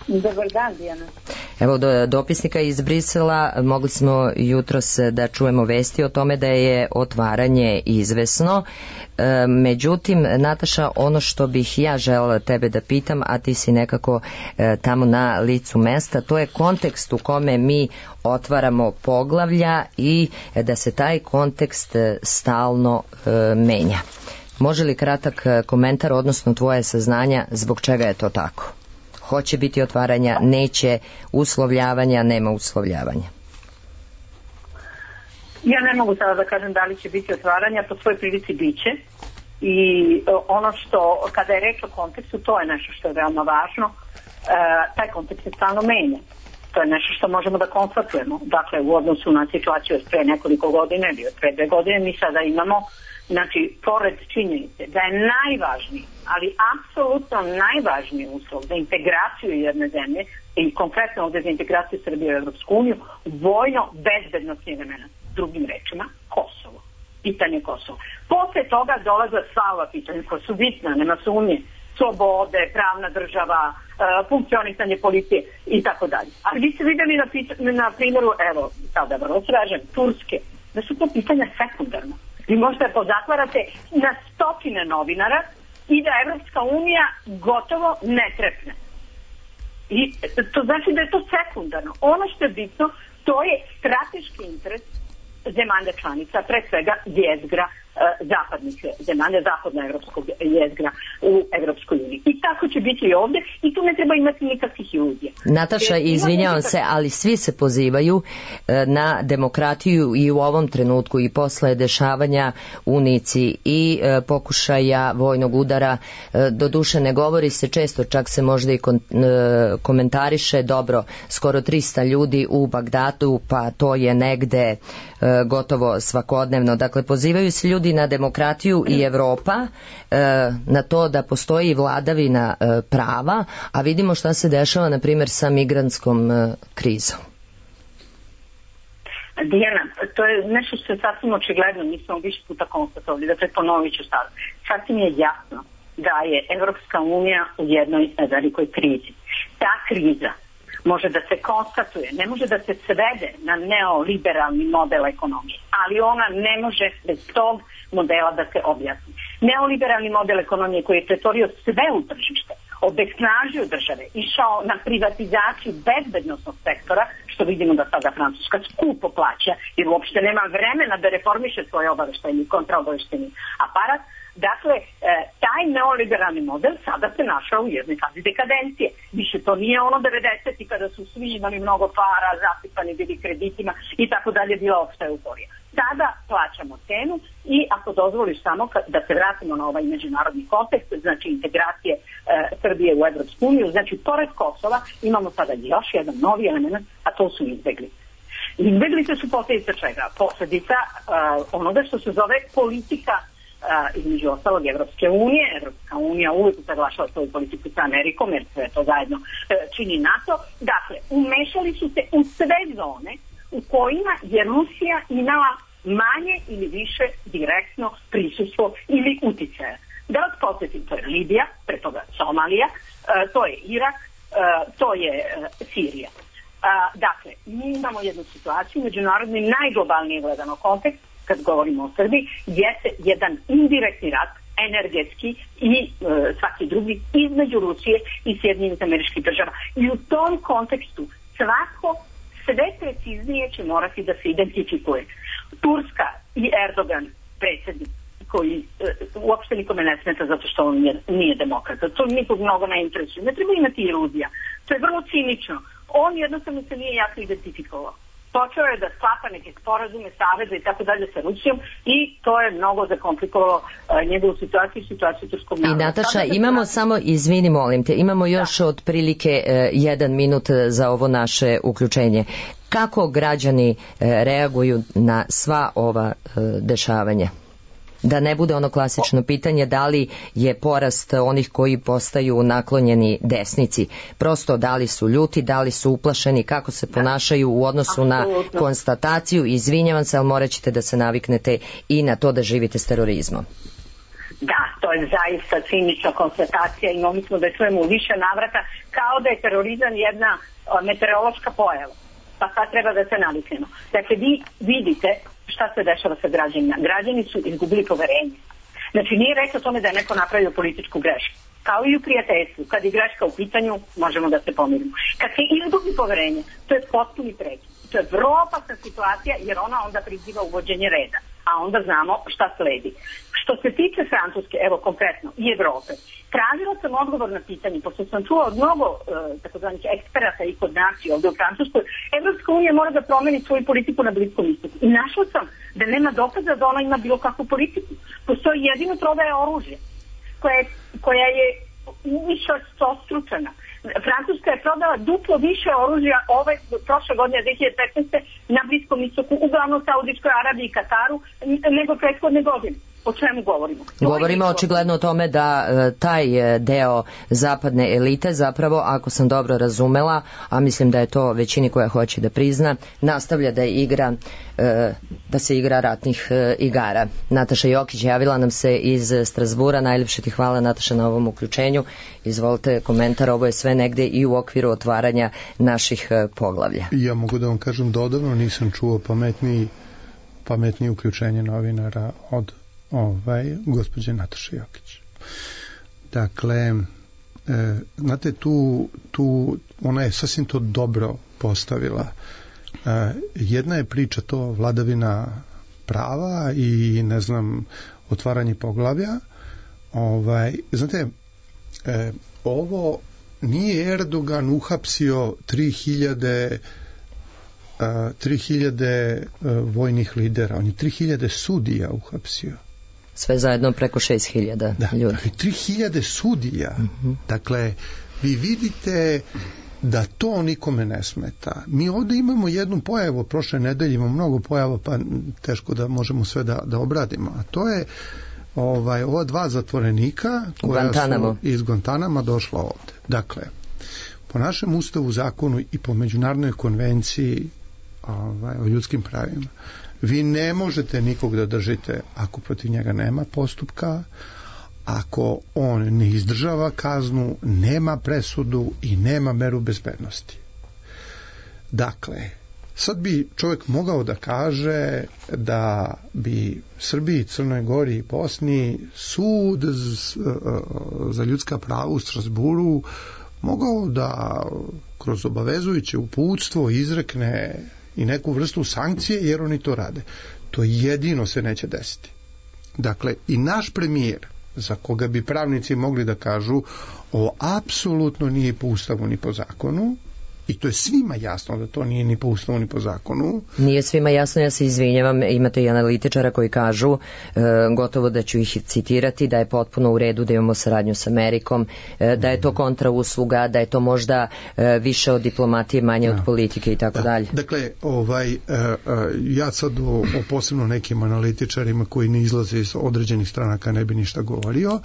Dobar dan, Dijana. Evo, do, dopisnika iz Brisela mogli smo jutros da čujemo vesti o tome da je otvaranje izvesno. E, međutim, Nataša, ono što bih ja želela tebe da pitam, a ti si nekako e, tamo na licu mesta, to je kontekst u kome mi otvaramo poglavlja i da se taj kontekst stalno e, menja. Može li kratak komentar, odnosno tvoje saznanja zbog čega je to tako? Hoće biti otvaranja, neće, uslovljavanja, nema uslovljavanja. Ja ne mogu sada da kažem da li će biti otvaranja, po svoj prilici biće. I ono što, kada je reč o kontekstu, to je nešto što je veoma važno. E, taj kontekst se stalno menja. To je nešto što možemo da konstatujemo. Dakle, u odnosu na situaciju od pre nekoliko godine ili od pre dve godine, mi sada imamo, znači, pored činjenice da je najvažniji, ali apsolutno najvažniji uslov za integraciju jedne zemlje i konkretno ovdje za integraciju Srbije u Evropsku uniju, vojno bezbednostni element, drugim rečima, Kosovo. Pitanje Kosova. Posle toga dolaze sva ova pitanja koja su bitna, nema sumnje, slobode, pravna država, funkcionisanje policije i tako dalje. Ali vi ste vidjeli na, na primjeru, evo, sada vrlo sražem, Turske, da su to pitanja sekundarna. Vi možete pozatvarate na stotine novinara i da Evropska unija gotovo ne trepne. I to znači da je to sekundarno. Ono što je bitno, to je strateški interes zemalja članica, pre svega jezgra zapadnih zemalja, zapadnoevropskog jezgra u Evropskoj uniji. I tako će biti i ovdje i tu ne treba imati nikakvih iluzija. Nataša, izvinjavam se, ali svi se pozivaju na demokratiju i u ovom trenutku i posle dešavanja u Nici i pokušaja vojnog udara. Doduše ne govori se često, čak se možda i komentariše, dobro, skoro trista ljudi u Bagdadu, pa to je negde gotovo svakodnevno. Dakle, pozivaju se ljudi na demokratiju i Evropa, na to da postoji vladavina prava, a vidimo šta se dešava, na primjer, sa migrantskom krizom. Dijana, to je nešto što je sasvim očigledno, mi smo više puta konstatovali, dakle ponovit ću sad. Sasvim je jasno da je Evropska unija u jednoj velikoj krizi. Ta kriza može da se konstatuje, ne može da se svede na neoliberalni model ekonomije, ali ona ne može bez tog modela da se objasni. Neoliberalni model ekonomije koji je pretvorio sve u tržište, obesnažio države, išao na privatizaciju bezbednosnog sektora, što vidimo da sada Francuska skupo plaća, jer uopšte nema vremena da reformiše svoj obaveštajni i kontraobaveštajni aparat. Dakle, taj neoliberalni model sada se našao u jednoj fazi dekadencije. Više to nije ono devedesetih kada su svi imali mnogo para, zasipani bili kreditima i tako dalje, bila opšta euforija. Sada plaćamo cenu i ako dozvoliš samo da se vratimo na ovaj međunarodni kontekst, znači integracije e, Srbije u Evropsku uniju, znači pored Kosova imamo sada još jedan novi element, a to su izbeglice. Izbeglice su posljedica čega? Posljedica e, onoga što se zove politika Uh, između ostalog Evropske unije. Evropska unija uvijek usaglašava svoju politiku sa Amerikom, jer sve to zajedno uh, čini NATO. Dakle, umešali su se u sve zone u kojima je Rusija imala manje ili više direktno prisustvo ili uticaja. Da vas podsjetim, to je Libija, pre toga Somalija, uh, to je Irak, uh, to je uh, Sirija. Uh, dakle, mi imamo jednu situaciju, međunarodni najglobalnije gledano kontekst, kad govorimo o Srbiji, jeste jedan indirektni rat, energetski i e, svaki drugi, između Rusije i Sjedinjenih Američkih Država. I u tom kontekstu svako sve preciznije će morati da se identifikuje. Turska i Erdogan, predsjednik, koji e, uopšte nikome ne smeta zato što on nije, nije demokrata. To nikog mnogo ne interesuje. Ne treba imati iluzija. To je vrlo cinično. On jednostavno se nije jasno identifikovao. Počeo je da sklapa neke sporazume, saveze i tako dalje sa Rusijom i to je mnogo zakomplikovalo uh, njegovu situaciju i situaciju turskog naroda. I Nataša, imamo da... samo, izvini molim te, imamo još da. otprilike uh, jedan minut za ovo naše uključenje. Kako građani uh, reaguju na sva ova uh, dešavanja? Da ne bude ono klasično pitanje da li je porast onih koji postaju naklonjeni desnici. Prosto da li su ljuti, da li su uplašeni, kako se ponašaju u odnosu na konstataciju. Izvinjavam se, ali morat ćete da se naviknete i na to da živite s terorizmom. Da, to je zaista cinična konstatacija i mi smo da je svemu više navrata kao da je terorizam jedna meteorološka pojava. Pa sad treba da se naviknemo. Dakle, vi vidite šta se dešava sa građanima. Građani su izgubili poverenje. Znači, nije reč o tome da je neko napravio političku grešku. Kao i u prijateljstvu. Kad je greška u pitanju, možemo da se pomirimo. Kad se izgubi poverenje, to je potpuni prekid. To je vrlo opasna situacija, jer ona onda priziva uvođenje reda. A onda znamo šta sledi. Što se tiče Francuske, evo konkretno, i Evrope, tražila sam odgovor na pitanje, pošto sam čula od mnogo e, takozvanih eksperata i kod nas i ovdje u Francuskoj, Evropska unija mora da promeni svoju politiku na Bliskom istoku. I našla sam da nema dokaza da ona ima bilo kakvu politiku. Postoji jedino prodaja oružja, koja je, koja je više ostručena. Francuska je prodala duplo više oružja ove prošle godine dve hiljade petnaeste. na Bliskom istoku, uglavnom Saudijskoj Arabiji i Kataru, nego prethodne godine. O čemu govorimo? Govorimo očigledno o tome da e, taj e, deo zapadne elite zapravo, ako sam dobro razumela, a mislim da je to većini koja hoće da prizna, nastavlja da igra e, da se igra ratnih e, igara. Nataša Jokić javila nam se iz Strazbura. Najljepše ti hvala, Nataša, na ovom uključenju. Izvolite komentar, ovo je sve negde i u okviru otvaranja naših e, poglavlja. Ja mogu da vam kažem da odavno nisam čuo pametniji pametnije uključenje novinara od ovaj, gospođe Nataše Jokić. Dakle, e, znate, tu, tu ona je sasvim to dobro postavila. E, jedna je priča to vladavina prava i, ne znam, otvaranje poglavlja. Ovaj, znate, e, ovo nije Erdogan uhapsio tri hiljade tri hiljade vojnih lidera, on je tri hiljade sudija uhapsio. Sve zajedno preko šest hiljada ljudi. Da, tri hiljade sudija. Uh-huh. Dakle, vi vidite da to nikome ne smeta. Mi ovdje imamo jednu pojavu, prošle nedelje imamo mnogo pojava, pa teško da možemo sve da, da obradimo. A to je ovaj, ova dva zatvorenika koja Guantanamo. su iz Guantanama došla ovde. Dakle, po našem ustavu, zakonu i po međunarodnoj konvenciji ovaj, o ljudskim pravima, vi ne možete nikog da držite ako protiv njega nema postupka, ako on ne izdržava kaznu, nema presudu i nema meru bezbednosti. Dakle, sad bi čovjek mogao da kaže da bi Srbiji, Crnoj Gori i Bosni sud za ljudska prava u Strasburu mogao da kroz obavezujuće uputstvo izrekne i neku vrstu sankcije, jer oni to rade. To jedino se neće desiti. Dakle, i naš premijer, za koga bi pravnici mogli da kažu ovo apsolutno nije po ustavu ni po zakonu, i to je svima jasno da to nije ni po ustavu ni po zakonu. Nije svima jasno, ja se izvinjavam, imate i analitičara koji kažu, e, gotovo da ću ih citirati, da je potpuno u redu da imamo saradnju s Amerikom, e, da je to kontrausluga, da je to možda e, više od diplomatije, manje da. od politike i tako da. dalje. Dakle, ovaj, e, e, ja sad o, o posebno nekim analitičarima koji ne izlaze iz određenih stranaka ne bi ništa govorio,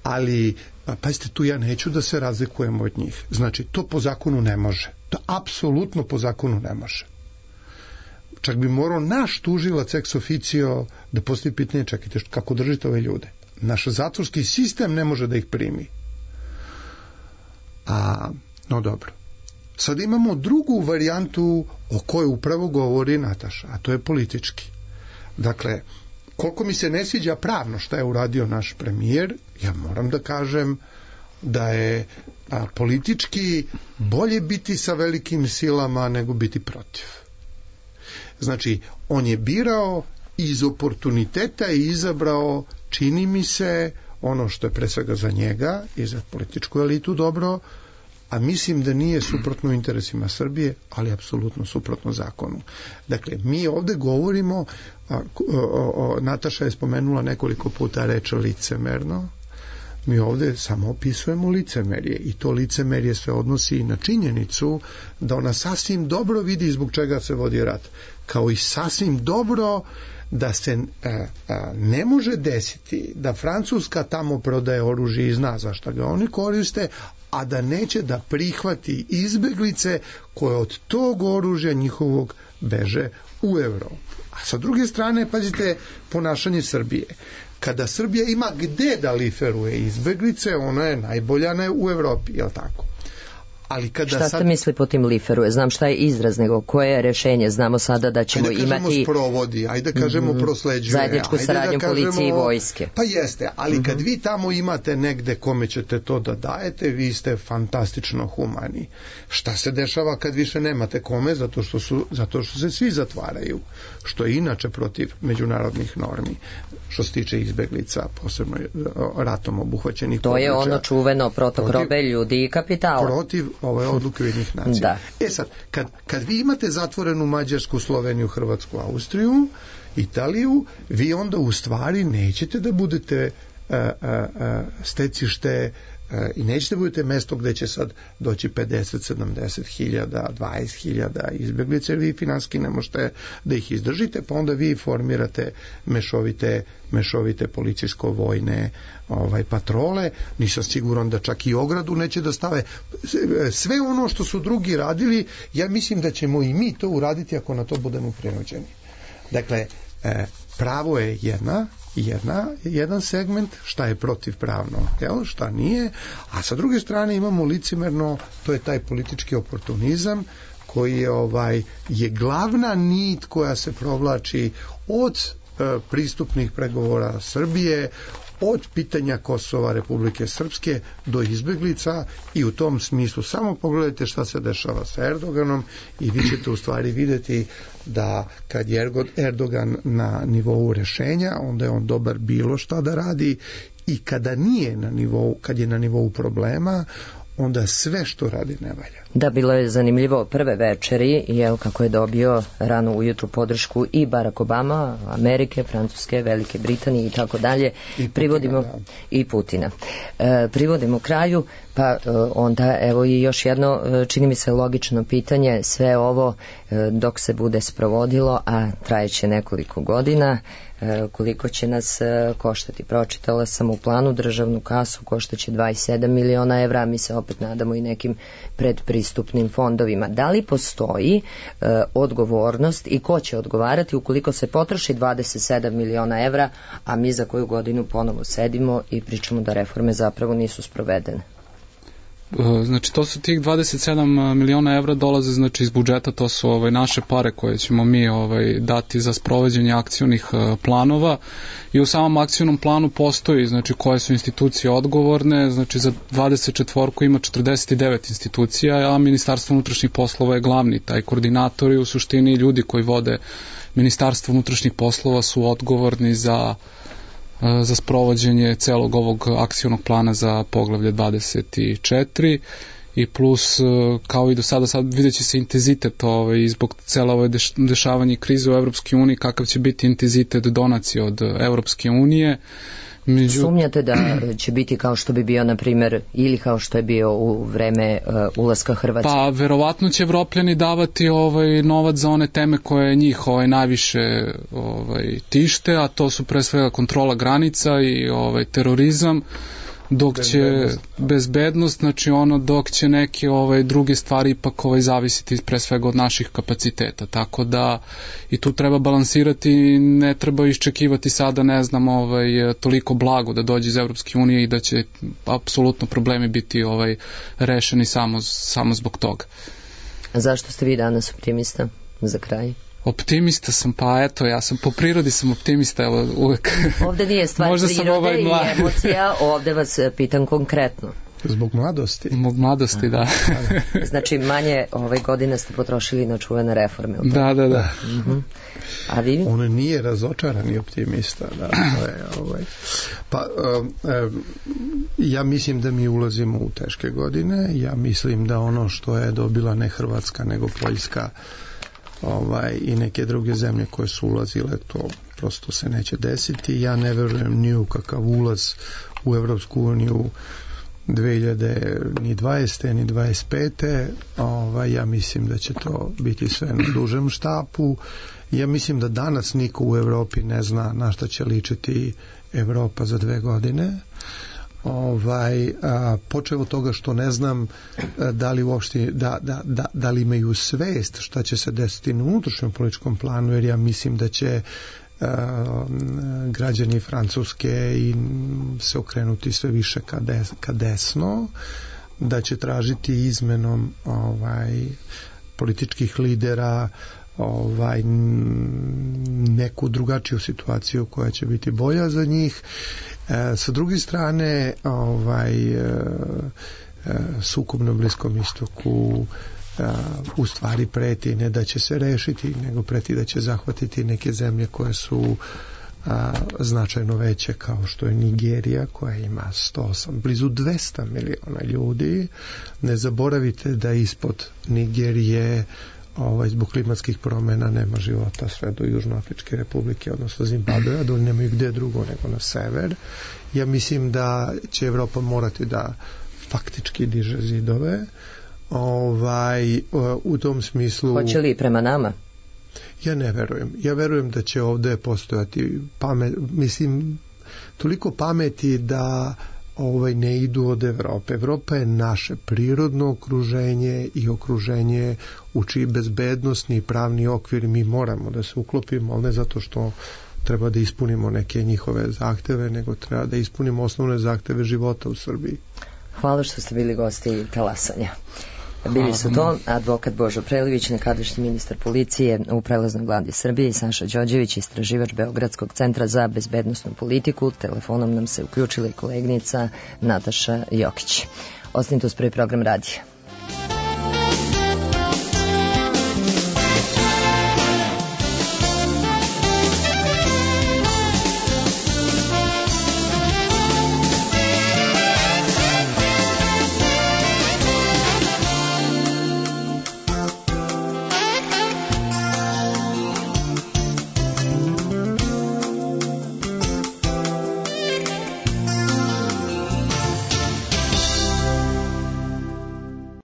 ali pa pazite, tu ja neću da se razlikujem od njih. Znači, to po zakonu ne može. To apsolutno po zakonu ne može. Čak bi morao naš tužilac ex officio da postavi pitanje, čekajte, kako držite ove ljude? Naš zatvorski sistem ne može da ih primi. A, no dobro. Sad imamo drugu varijantu o kojoj upravo govori Nataša, a to je politički. Dakle, koliko mi se ne sviđa pravno šta je uradio naš premijer, ja moram da kažem da je a, politički bolje biti sa velikim silama nego biti protiv. Znači, on je birao iz oportuniteta i izabrao, čini mi se, ono što je pre svega za njega i za političku elitu dobro, a mislim da nije suprotno interesima Srbije, ali apsolutno suprotno zakonu. Dakle, mi ovde govorimo, a, o, o, Nataša je spomenula nekoliko puta reč licemerno, mi ovde samo opisujemo licemerje i to licemerje se odnosi i na činjenicu da ona sasvim dobro vidi zbog čega se vodi rat, kao i sasvim dobro da se a, a, ne može desiti da Francuska tamo prodaje oružje i zna za šta ga oni koriste, a da neće da prihvati izbeglice koje od tog oružja njihovog beže u Evropu. A sa druge strane, pazite, ponašanje Srbije. Kada Srbija ima gde da liferuje izbeglice, ona je najbolja ne u Evropi, je li tako? Ali kada šta sad... se misli po tim liferuje? Znam šta je izraz, nego koje je rešenje? Znamo sada da ćemo ajde kažemo imati... sprovodi, ajde kažemo mm, prosleđuje. Zajedničku saradnju da policije i vojske. Pa jeste, ali mm-hmm. kad vi tamo imate negde kome ćete to da dajete, vi ste fantastično humani. Šta se dešava kad više nemate kome? Zato što, su, zato što se svi zatvaraju. Što je inače protiv međunarodnih normi. Što se tiče izbeglica, posebno ratom obuhvaćenih to područja. To je ono čuveno protok protiv, robe, ljudi i kapitala. Protiv ove odluke Ujedinjenih nacija. Da. E sad, kad, kad vi imate zatvorenu Mađarsku, Sloveniju, Hrvatsku, Austriju, Italiju, vi onda u stvari nećete da budete a, a, a, stecište a, i nećete da budete mesto gde će sad doći pedeset, sedamdeset hiljada, dvadeset hiljada izbeglice, jer vi finanski ne možete da ih izdržite, pa onda vi formirate mešovite, mešovite policijsko-vojne ovaj, patrole. Nisam siguran da čak i ogradu neće da stave. Sve ono što su drugi radili, ja mislim da ćemo i mi to uraditi ako na to budemo prinuđeni. Dakle, pravo je jedna, jedna, jedan segment, šta je protivpravno, jel, šta nije, a sa druge strane imamo licemerno, to je taj politički oportunizam koji je, ovaj, je glavna nit koja se provlači od e, pristupnih pregovora Srbije, od pitanja Kosova, Republike Srpske do izbeglica, i u tom smislu samo pogledajte šta se dešava sa Erdoganom i vi ćete u stvari vidjeti da kad je Erdogan na nivou rešenja, onda je on dobar bilo šta da radi, i kada nije na nivou, kad je na nivou problema, onda sve što radi ne valja. Da, bilo je zanimljivo prve večeri, jel, kako je dobio rano ujutru podršku i Barack Obama, Amerike, Francuske, Velike Britanije i tako dalje. I privodimo da. i Putina. E, privodimo kraju, pa e, onda evo i još jedno, e, čini mi se logično pitanje, sve ovo e, dok se bude sprovodilo, a trajeće nekoliko godina, e, koliko će nas e, koštati? Pročitala sam u planu državnu kasu, koštaće dvadeset sedam miliona evra, mi se opet nadamo i nekim predpristupnim fondovima. Da li postoji e, odgovornost i ko će odgovarati ukoliko se potroši dvadeset sedam miliona evra, a mi za koju godinu ponovo sedimo i pričamo da reforme zapravo nisu sprovedene? Znači to su tih dvadeset sedam miliona evra dolaze znači iz budžeta, to su ovaj naše pare koje ćemo mi ovaj dati za sprovođenje akcionih planova i u samom akcionom planu postoji znači koje su institucije odgovorne, znači za dvadeset četvorku ima četrdeset devet institucija, a Ministarstvo unutrašnjih poslova je glavni taj koordinator i u suštini ljudi koji vode Ministarstvo unutrašnjih poslova su odgovorni za za sprovođenje celog ovog akcionog plana za poglavlje dvadeset četiri i plus kao i do sada sad vidjet će se intenzitet ovaj, zbog cela ove dešavanja i krize u Evropskoj uniji, kakav će biti intenzitet donacije od Evropske unije. Među... Sumnjate da će biti kao što bi bio, na primjer, ili kao što je bio u vreme uh, ulaska Hrvatske? Pa, verovatno će Evropljani davati ovaj novac za one teme koje njih ovaj najviše ovaj tište, a to su pre svega kontrola granica i ovaj terorizam, dok će bezbednost, bezbednost znači ono dok će neke ovaj druge stvari ipak ovaj zavisiti pre svega od naših kapaciteta, tako da i tu treba balansirati, ne treba iščekivati sada ne znam ovaj toliko blago da dođe iz Evropske unije i da će apsolutno problemi biti ovaj rešeni samo samo zbog toga. A zašto ste vi danas optimista za kraj? Optimista sam, pa eto, ja sam po prirodi sam optimista, evo uvek. Ovde nije stvar prirode ovaj i emocija, ovde vas pitam konkretno. Zbog mladosti. Zbog mladosti, da. Znači, manje ove godine ste potrošili na čuvene reforme. Da, da, da. Uh-huh. A vi? On nije razočarani optimista, da. To je, ovaj. Pa, um, um, ja mislim da mi ulazimo u teške godine, ja mislim da ono što je dobila ne Hrvatska, nego Poljska, ovaj, i neke druge zemlje koje su ulazile, to prosto se neće desiti. Ja ne verujem ni u kakav ulaz u Evropsku uniju dve hiljade dvadesete ni dvadeset pete. Ovaj, ja mislim da će to biti sve na dužem štapu. Ja mislim da danas niko u Evropi ne zna na šta će ličiti Evropa za dve godine. Ovaj, a, počeo od toga što ne znam a, da li uopšte da, da, da, da li imaju svest šta će se desiti na unutrašnjem političkom planu, jer ja mislim da će a, građani Francuske i se okrenuti sve više ka, des, ka desno, da će tražiti izmenom ovaj, političkih lidera ovaj neku drugačiju situaciju koja će biti bolja za njih. E, sa druge strane, ovaj e, sukob na Bliskom istoku e, u stvari preti ne da će se rešiti, nego preti da će zahvatiti neke zemlje koje su a, značajno veće, kao što je Nigerija, koja ima sto osam, blizu dvesta miliona ljudi. Ne zaboravite da ispod Nigerije ovaj, zbog klimatskih promjena nema života sve do Južnoafričke republike, odnosno Zimbabvea, dole nemaju gde drugo nego na sever. Ja mislim da će Evropa morati da faktički diže zidove. Ovaj, u tom smislu... Hoće li prema nama? Ja ne verujem. Ja verujem da će ovde postojati pamet, mislim, toliko pameti da ovaj ne idu od Evrope. Evropa je naše prirodno okruženje i okruženje u čiji bezbednosni i pravni okvir mi moramo da se uklopimo, ali ne zato što treba da ispunimo neke njihove zahteve, nego treba da ispunimo osnovne zahteve života u Srbiji. Hvala što ste bili gosti Talasanja. Bili su to advokat Božo Prelivić, nekadašnji ministar policije u prelaznoj vladi Srbije, i Saša Đorđević, istraživač Beogradskog centra za bezbednosnu politiku. Telefonom nam se uključila i koleginica Nataša Jokić. Ostanite uz prvi program radija.